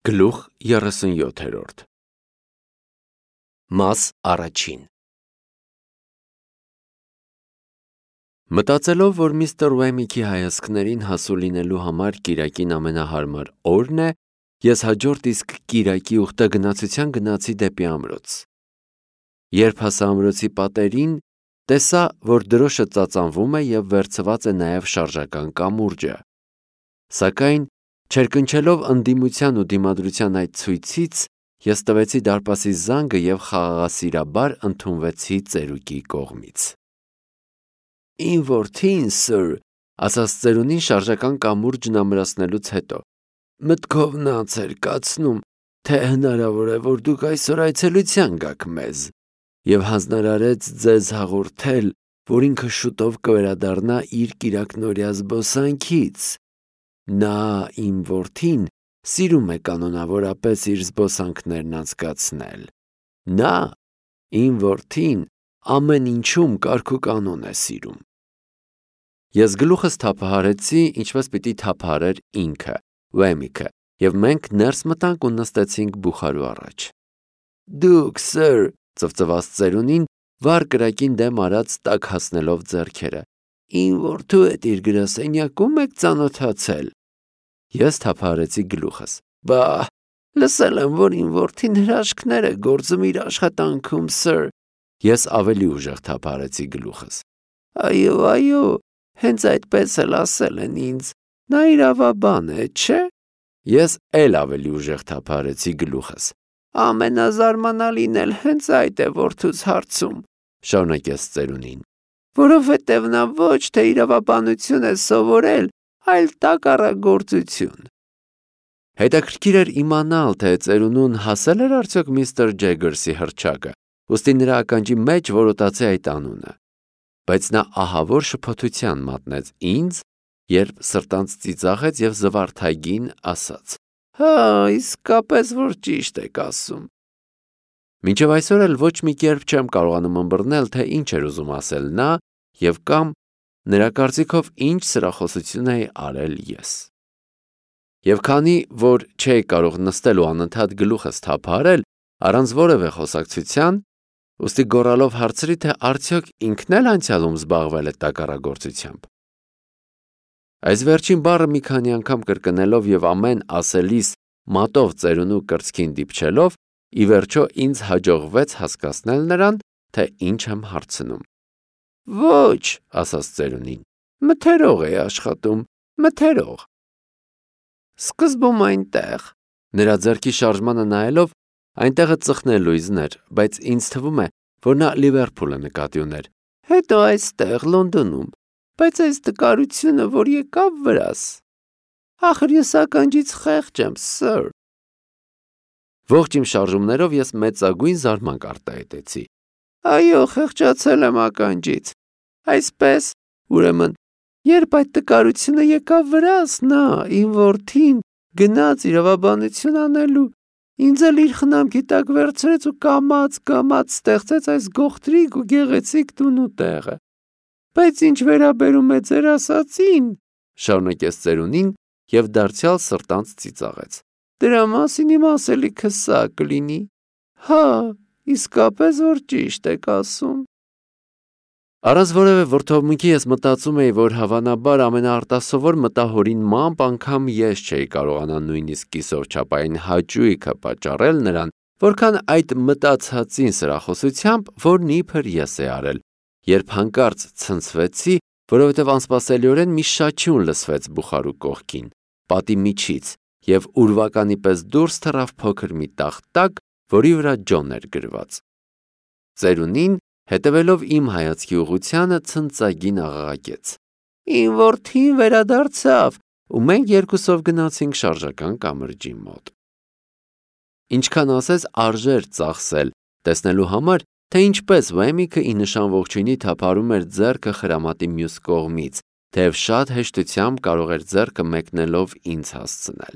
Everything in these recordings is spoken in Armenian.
Գլուխ 37 Մաս առաջին Մտածելով, որ միստր Ուեմիքի հայացքներին հասու լինելու համար կիրակին ամենահարմար օրն է, ես հաջորդ իսկ կիրակի ուխտագնացության գնացի դեպի ամրոց։ Երբ հասա ամրոցի պատերին, տեսա, որ դրոշը ծածանվում է և վերցված է նաև շարժական կամուրջը։ Սակայն չերկնչելով ընդդիմության ու դիմադրության այդ ցույցից, ես տվեցի դարպասի զանգը և խաղաղասիրաբար ընդունվեցի ծերուկի կողմից։ Իմ որդին, սըր, ասաց ծերունին շարժական կամուրջն ամրացնելուց հետո, մտքով նաց էր կացնում, թե հնարավոր է, որ դուք այսօր այցելության գաք մեզ, և հանձնարարեց ձեզ հաղորդել, որ ինքը շուտով կվերադառնա իր կիրակնօրյա զբոսանքից։ Նա, իմ որդին, սիրում է կանոնավորապես իր զբոսանքներն անցկացնել։ Նա, իմ որդին, ամեն ինչում կարգ ու կանոն է սիրում։ Ես գլուխս թափահարեցի, ինչպես պիտի թափահարեր ինքը, Ուեմիքը, և մենք ներս մտանք ու նստեցինք բուխարու առաջ։ Դուք, սըր, ծվծվաց ծերունին, վառ կրակին դեմ արած տակ հասնելով ձեռքերը, իմ որդու հետ իր գրասենյակում եք ծանոթացել։ Ես թափահարեցի գլուխս։ Բա, լսել եմ, որ իմ որդին հրաշքներ է գործում իր աշխատանքում, սըր։ Ես ավելի ուժեղ թափահարեցի գլուխս։ Այո, հենց այդպես էլ ասել են ինձ, նա իրավաբան է, չէ։ Ես էլ ավելի ուժեղ թափահարեցի գլուխս։ Ամենազարմանալին էլ հենց այդ է որդուս հարցում, շարունակեց ծերունին, որովհետև նա ոչ թե իրավաբանություն է սովորել, այլ տակառագործություն։ Հետաքրքիր էր իմանալ, թե ծերունուն հասել էր արդյոք միստր Ջեգերսի հռչակը, ուստի նրա ականջի մեջ որոտացի այդ անունը, բայց նա ահավոր շփոթության մատնեց ինձ, երբ սրտանց ծիծաղեց և զվարթագին ասաց. Հա, իսկապես որ ճիշտ եք ասում։ Մինչև այսօր էլ ոչ մի կերպ չեմ կարողանում ըմբռնել, թե ինչ էր ուզում ասել նա և կամ նրա կարծիքով ինչ սրախոսություն էի արել ես։ Եվ քանի որ չէի կարող նստել ու անընդհատ գլուխս թափահարել, առանց որևէ խոսակցության, ուստի գոռալով հարցրի, թե արդյոք ինքն էլ անցյալում զբաղվել է տակառագործությամբ։ Այս վերջին բառը մի քանի անգամ կրկնելով և ամեն ասելիս մատով ծերունու կրծքին դիպչելով, ի վերջո ինձ հաջողվեց հասկացնել նրան, թե ինչ եմ հարցնում։ Ոչ, ասաց ծերունին, մթերող էի աշխատում, մթերող։ Սկզբում այնտեղ, նրա ձեռքի շարժմանը նայելով, այնտեղը ծխնելույզն էր, բայց ինձ թվում է, որ նա Լիվերփուլը նկատի ուներ, հետո այստեղ, Լոնդոնում, բայց այս տկարությունը, որ եկավ վրաս, ախր ես ականջից խեղճ եմ, սըր։ Ողջ իմ շարժումներով ես մեծագույն զարմանք արտահայտեցի։ Այո, խեղճացել եմ ականջից։ Այսպես, ուրեմն, երբ այդ տկարությունը եկավ վրաս, նա, իմ որդին, գնաց իրավաբանություն անելու, ինձ էլ իր խնամքի տակ վերցրեց ու կամաց ստեղծեց այս գողտրիկ ու գեղեցիկ տունու տեղը։ Բայց ինչ վերաբերում է ձեր ասածին, շարունակեց ծերունին և դարձյալ սրտանց ծիծաղեց, դրա մասին իմ ասելիքը սա կլինի, հա, իսկապես որ ճիշտ եք ասում։ Առանց որևէ վրդովմունքի ես մտածում էի, որ հավանաբար ամենաարտասովոր մտահորինմամբ անգամ ես չէի կարողանա նույնիսկ կիսով չափային հաճույքը պատճառել նրան, որքան այդ մտածածին սրախոսությամբ, որն իբր ես էի արել, երբ հանկարծ ցնցվեցի, որովհետև անսպասելիորեն մի շաչյուն լսվեց բուխարու կողքին, պատի միջից, և ուրվականի պես դուրս թռավ փոքր մի տախտակ, որի վրա Ջոն էր գրված։ Ծերունին, հետևելով իմ հայացքի ուղղությանը, ցնծագին աղաղակեց. Իմ որդին վերադարձավ, ու մենք երկուսով գնացինք շարժական կամրջի մոտ։ Ինչքան ասես արժեր ծախսել, տեսնելու համար, թե ինչպես Ուեմիքը ի նշան ողջույնի թափահարում էր ձեռքը խրամատի մյուս կողմից, թեև շատ հեշտությամբ կարող էր ձեռքը մեկնելով ինձ հասցնել։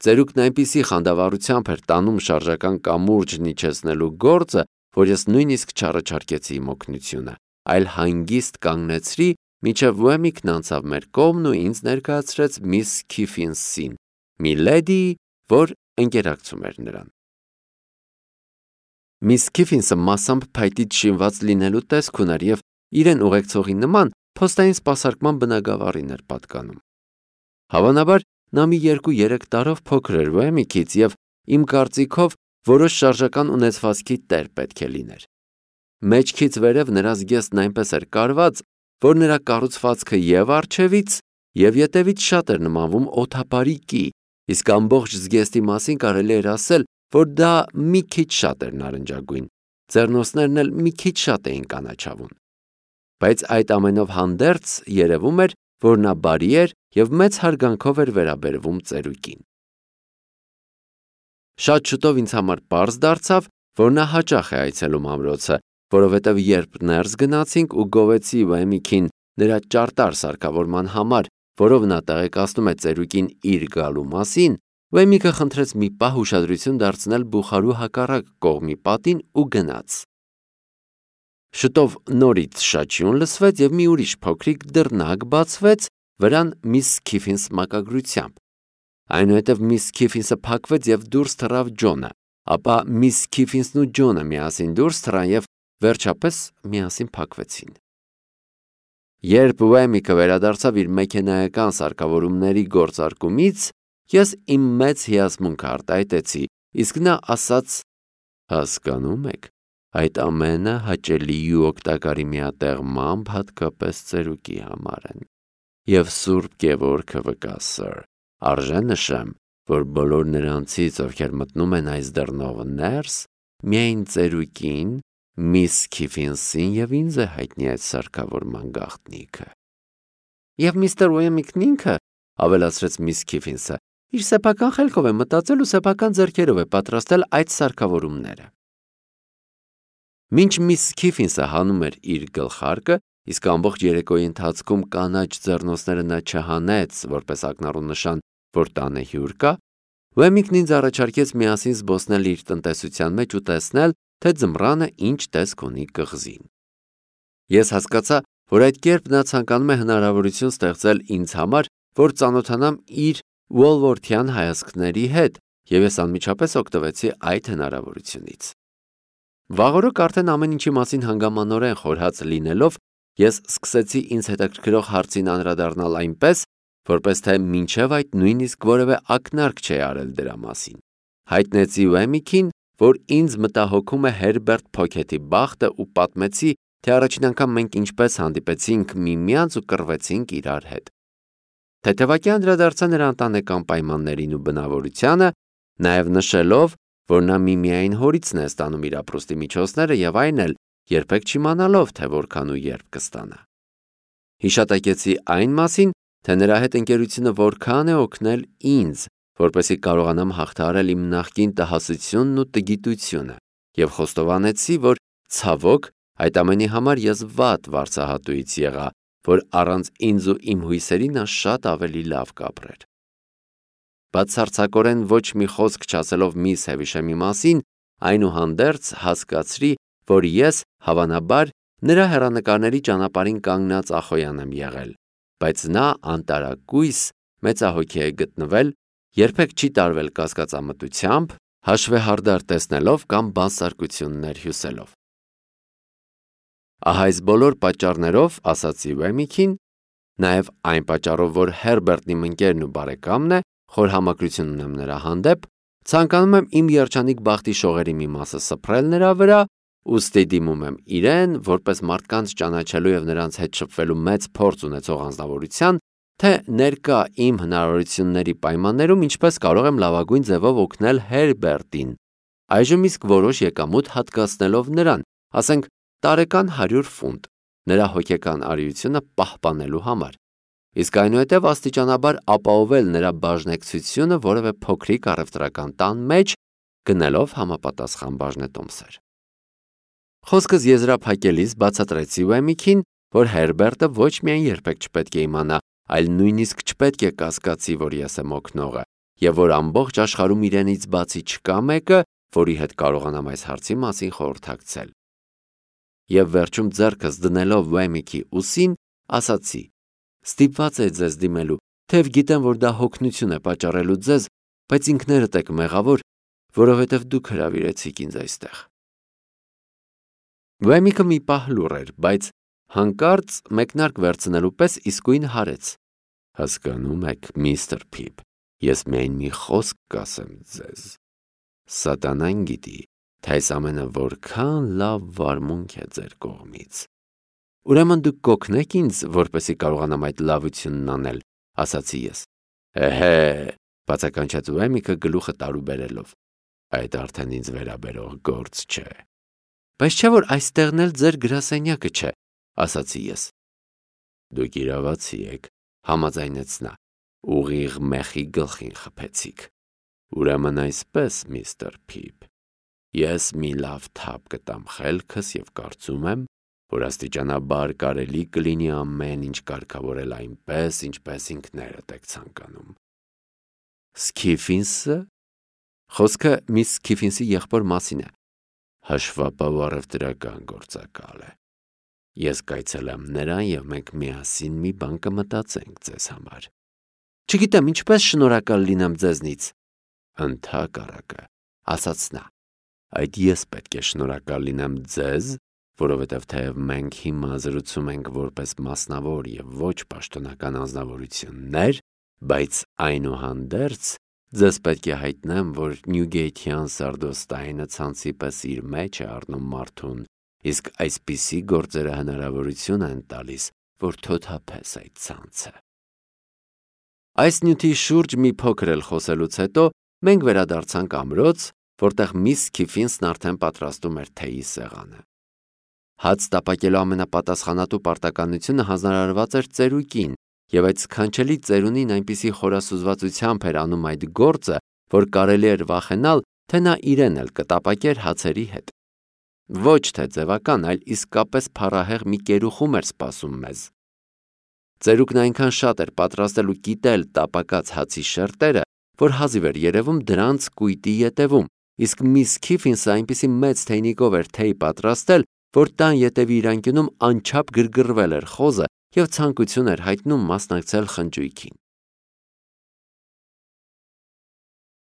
Ծերուկն այնպիսի խանդավառությամբ էր տանում շարժական կամուրջն իջեցնելու գործը, որ ես նույնիսկ չառաջարկեցի իմ օգնությունը, այլ հանգիստ կանգնեցրի, մինչև Ուեմիքն անցավ մեր կողմն ու ինձ ներկայացրեց միս Քիֆինսին, մի լեդիի, որ ընկերակցում էր նրան։ Միս Քիֆինսը մասամբ փայտից շինված լինելու տեսք ուներ և իրեն ուղեկցողի նման փոստային սպասարկման բնագավառին էր պատկանում։ Հավանաբար նա մի 2-3 տարով փոքր էր Ուեմիքից և իմ կարծիքով որոշ շարժական ունեցվածքի տեր պետք է լիներ։ Մեջքից վերև նրա զգեստն այնպես էր կարված, որ նրա կառուցվածքը և առջևից, և ետևից շատ էր նմանվում օդապարի կի, իսկ ամբողջ զգեստի մասին կարելի էր ասել, որ դա մի քիչ շատ էր նարնջագույն, ձեռնոցներն էլ մի քիչ շատ էին կանաչավուն։ Բայց այդ ամենով հանդերձ երևում էր, որ նա բարի էր և մեծ հարգանքով էր վերաբերվում ծերուկին։ Շատ շուտով ինձ համար պարզ դարձավ, որ նա հաճախ է այցելում ամրոցը, որովհետև երբ ներս գնացինք ու գովեցի Ուեմիքին նրա ճարտար սարքավորման համար, որով նա տեղեկացնում է ծերուկին իր գալու մասին, Ուեմիքը խնդրեց մի պահ ուշադրություն դարձնել բուխարու հակառակ կողմի պատին ու գնաց։ Շուտով նորից շաչյուն լսվեց և մի ուրիշ փոքրիկ դռնակ բացվեց վրան միս Քիֆինս մակագրությամբ։ Այնուհետև միս Քիֆինսը փակվեց և դուրս թռավ Ջոնը, ապա միս Քիֆինսն ու Ջոնը միասին դուրս թռան և վերջապես միասին փակվեցին։ Երբ Ուեմիքը վերադարձավ իր մեքենայական սարքավորումների գործարկումից, ես իմ մեծ հիացմունքը արտահայտեցի, իսկ նա ասաց. «Հասկանում եք, այդ ամենը հաճելի ու օգտակարի միատեղմամբ հատկապես ծերուկի համար են։ Եվ Սուրբ Գևորգը վկա, սըր, արժե նշեմ, որ բոլոր նրանցից, ովքեր մտնում են այս դռնով ներս, միայն ծերուկին, միս Քիֆինսին և ինձ է հայտնի այդ սարքավորման գաղտնիքը»։ «Եվ միստր Ուեմիքն ինքը, ավելացրեց միս Քիֆինսը, իր սեփական խելքով է մտածել ու սեփական ձեռքերով է պատրաստել այդ սարքավորումները»։ Մինչ միս Քիֆինսը հանում էր իր գլխարկը, իսկ ամբողջ երեկոյի ընթացքում կանաչ ձեռնոցները նա չհանեց, որպես ակնառու նշան, որ տանը հյուր կա, Ուեմիքն ինձ առաջարկեց միասին զբոսնել իր տնտեսության մեջ ու տեսնել, թե ձմռանը ինչ տեսք ունի կղզին։ Ես հասկացա, որ այդ կերպ նա ցանկանում է հնարավորություն ստեղծել ինձ համար, որ ծանոթանամ իր ուոլվորթյան հայացքների հետ, և ես անմիջապես օգտվեցի այդ հնարավորությունից։ Վաղօրոք արդեն ամեն ինչի մասին հանգամանորեն խորհած լինելով, ես սկսեցի ինձ հետաքրքրող հարցին անդրադառնալ այնպես, որպես թե մինչև այդ նույնիսկ որևէ ակնարկ չէի արել դրա մասին։ Հայտնեցի Ուեմիքին, որ ինձ մտահոգում է Հերբերտ Փոքեթի բախտը ու պատմեցի, թե առաջին անգամ մենք ինչպես հանդիպեցինք միմյանց ու կռվեցինք իրար հետ։ Թեթևակի անդրադարձա նրա ընտանեկան պայմաններին ու բնավորությանը, նաև նշելով, որ նա միմիայն հորիցն է ստանում իր ապրուստի միջոցները և այն էլ երբեք չիմանալով, թե որքան ու երբ կստանա։ Հիշատակեցի այն մասին, թե նրա հետ ընկերությունը որքան է օգնել ինձ, որպեսզի կարողանամ հաղթահարել իմ նախկին տհասությունն ու տգիտությունը, և խոստովանեցի, որ ցավոք այդ ամենի համար ես վատ վարձահատուից եղա, որ առանց ինձ ու իմ հույսերի նա շատ ավելի լավ կապրեր։ Բացարձակորեն ոչ մի խոսք չասելով միս Հևիշեմի մասին, այնուհանդերձ հասկացրի, որ ես, հավանաբար, նրա հեռանկարների ճանապարհին կանգնած Ախոյան եմ եղել, բայց նա անտարակույս մեծահոգի է գտնվել, երբեք չի տարվել կասկածամտությամբ, հաշվեհարդար տեսնելով կամ բանսարկություններ հյուսելով։ Ահա այս բոլոր պատճառներով, ասացի Ուեմիքին, նաև այն պատճառով, որ Հերբերտն իմ ընկերն ու բարեկամն է, խոր համակրություն ունեմ նրա հանդեպ, ցանկանում եմ իմ երջանիկ բախտի շողերի մի մասը սփռել նրա վրա, ուստի դիմում եմ իրեն, որպես մարդկանց ճանաչելու և նրանց հետ շփվելու մեծ փորձ ունեցող անձնավորության, թե ներկա իմ հնարավորությունների պայմաններում ինչպես կարող եմ լավագույն ձևով օգնել Հերբերտին, այժմ իսկ որոշ եկամուտ հատկացնելով նրան, ասենք տարեկան 100 ֆունտ, նրա հոգեկան արիությունը պահպանելու համար, իսկ այնուհետև աստիճանաբար ապահովել նրա բաժնեկցությունը որևէ փոքրիկ առևտրական տան մեջ, գնելով համապատասխան բաժնետոմսեր։ Խոսքս եզրափակելիս բացատրեցի Ուեմիքին, որ Հերբերտը ոչ միայն երբեք չպետք է իմանա, այլ նույնիսկ չպետք է կասկածի, որ ես եմ օգնողը, և որ ամբողջ աշխարհում իրենից բացի չկա մեկը, որի հետ կարողանամ այս հարցի մասին խորհրդակցել։ Եվ վերջում ձեռքս դնելով Ուեմիքի ուսին, ասացի. «Ստիպված էի ձեզ դիմելու, թեև գիտեմ, որ դա հոգնություն է պատճառելու ձեզ, բայց ինքներդ եք մեղավոր, որովհետև դուք հրավիրեցիք ինձ այստեղ։ Վայմիկը մի պահ լուռ էր, բայց հանկարծ մեկնարկ վերցնելու պես իսկույն հարեց։ Հասկանում եք, միստր Փիփ, ես միայն մի խոսք կասեմ ձեզ։ Սատանան գիտի, թե այս ամենը որքան լավ վարմունք է ձեր կողմից։ Ուրեմն դուք կօգնեք ինձ, որպեսզի կարողանամ այդ լավությունն անել, ասացի ես։ Էհե, բացականչեց Վայմիկը գլուխը տարուբերելով։ Այդ արդեն ինձ վերաբերող գործ չէ։ Բայց չէ որ այստեղն էլ ձեր գրասենյակը չէ, ասացի ես։ Դուք իրավացի եք, համաձայնեց նա, ուղիղ մեխի գլխին խփեցիք։ Ուրեմն այսպես, միստր Փիփ, ես մի լավ թափ կտամ խելքս և կարծում եմ, որ աստիճանաբար կարելի կլինի ամեն ինչ կարգավորել այնպես, ինչպես ինքներդ եք ցանկանում։ Սքիֆինսը? Խոսքը միս Սքիֆինսի եղբոր մասին է։ Հաշվապահ առևտրական գործակալ է։ Ես կայցելեմ նրան և մենք միասին մի բան կմտածենք ձեզ համար։ Չգիտեմ ինչպես շնորհակալ լինեմ ձեզնից։ Ընդհակառակը, ասաց նա, այդ ես պետք է շնորհակալ լինեմ ձեզ, որովհետև թեև մենք հիմա զրուցում ենք որպես մասնավոր և ոչ պաշտոնական անձնավորություններ, բայց այնուհանդերձ ձեզ պետք է հայտնեմ, որ Նյուգեյթյան սարդոստայնը ցանցի պես իր մեջ է առնում մարդուն, իսկ այսպիսի գործերը հնարավորություն են տալիս, որ թոթափես այդ ցանցը։ Այս նյութի շուրջ մի փոքր էլ խոսելուց հետո մենք վերադարձանք ամրոց, որտեղ միս Սքիֆինսն արդեն պատրաստում էր թեյի սեղանը։ Հաց տապակելու ամենապատասխանատու պարտականությունը հանձնարարված էր ծերուկին, և այդ սքանչելի ծերունին այնպիսի խորասուզվածությամբ էր անում այդ գործը, որ կարելի էր վախենալ, թե նա իրեն էլ կտապակեր հացերի հետ։ Ոչ թե ձևական, այլ իսկապես փառահեղ մի կերուխում էր սպասում մեզ։ Ծերուկն այնքան շատ էր պատրաստել ու կիտել տապակած հացի շերտերը, որ հազիվ էր երևում դրանց կույտի ետևում, իսկ միս Սքիֆինսը այնպիսի մեծ թեյնիկով էր թեյ պատրաստել, որ տան ետևի իր անկյունում անչափ գրգռվել էր խոզը և ցանկություն էր հայտնում մասնակցել խնջույքին։